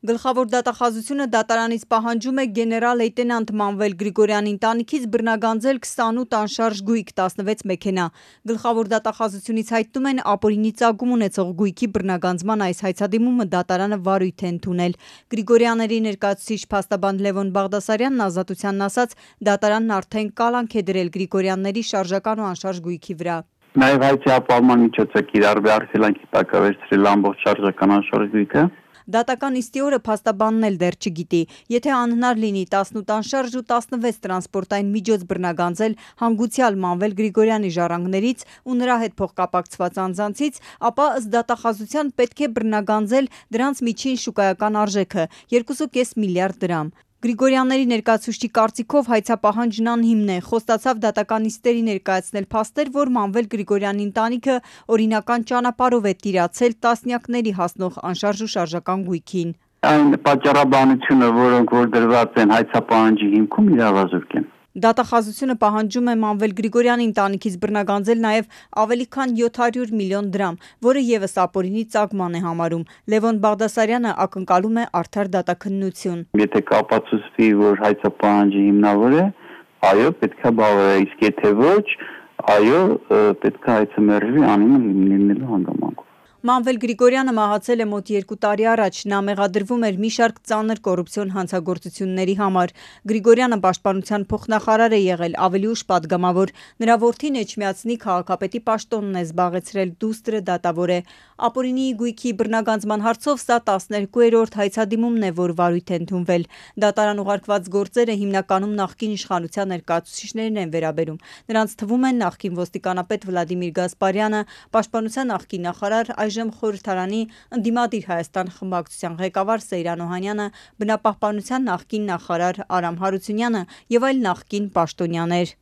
Գլխավոր դատախազությունը դատարանից պահանջում է գեներալ լեյտենանտ Մանվել Գրիգորյանի ընտանիքից բռնագանձել 28 անշարժ գույք, 16 մեքենա։ Գլխավոր դատախազությունից հայտնում են ապօրինի ծագում ունեցող գույքի բռնագանձման այս հայցադիմումը դատարանը վարույթ է ընդունել։ Գրիգորյանների ներկայացուցիչ փաստաբան Լևոն Բաղդասարյանն Ազատությանն ասաց, դատարանն արդեն կալանք է դրել Գրիգորյանների շարժական ու անշարժ գույքի վրա։ Նաև հայցի ապահովման միջոց է կիրառվի արգելանքի տակ վերցրել ամբողջ շարժական անշարժ գույքը։ Դատական նիստի օրը փաստաբանն էլ դեռ չգիտի, եթե անհնար լինի 18 անշարժ ու 16 տրանսպորտային միջոց բռնագանձել հանգուցյալ Մանվել Գրիգորյանի ժառանգներից ու նրա հետ փոխկապակցված անձանցից, ապա ըստ դատախազության պետք է բռնագանձել դրանց միջին շուկայական արժեքը 2.5 միլիարդ դրամ։ Գրիգորյանների ներկայացուցչի կարծիքով հայցապահանջն անհիմն է, խոստացավ դատական նիստերի ներկայացնել փաստեր, որ Մանվել Գրիգորյանի ընտանիքը օրինական ճանապարհով է տիրացել տասնյակների հասնող անշարժ ու շարժական գույքին։ Այն պատճառաբանությունը, որոնք որ դրված են հայցապահանջի հիմքում, իրավազորկ են։ Դատախազությունը պահանջում է Մանվել Գրիգորյանի ընտանիքից բռնագանձել նաև ավելի քան 700 միլիոն դրամ, որը ևս ապօրինի ծագման է համարում։ Լևոն Բաղդասարյանը ակնկալում է արդար դատաքննություն։ Եթե կապացուցվի, որ հայցապահանջը հիմնավոր է, այո, պետք է բավարարի, իսկ եթե ոչ, այո, պետք է հայցը մերժվի անիմը լինելու հանգամանքով։ Մանվել Գրիգորյանը մահացել է մոտ 2 տարի առաջ, նա մեղադրվում էր մի շարք ծանր կոռուպցիոն հանցագործությունների համար։ Գրիգորյանը պաշտպանության փոխնախարար է եղել, ավելի ուշ պատգամավոր։ Նրա որդին Էջմիածնի քաղաքապետի պաշտոնն է զբաղեցրել, դուստրը դատավոր է։ Ապօրինի գույքի բռնագանձման հարցով սա 12-րդ հայցադիմումն է, որ վարույթ է ընդունվել։ Դատարան ուղարկված գործերը հիմնականում նախկին իշխանության ներկայացուցիչներին են վերաբերում։ Նրանց թվում են նախկին ոստիկանապետ Վլադիմիր Գասպարյանը, պաշտպանության նախկին նախարար, այժմ խորհրդարանի ընդդիմադիր Հայաստան խմբակցության ղեկավար Սեյրան Օհանյանը, բնապահպանության նախկին նախարար Արամ Հարությունյանը և այլ նախկին պաշտոնյաներ։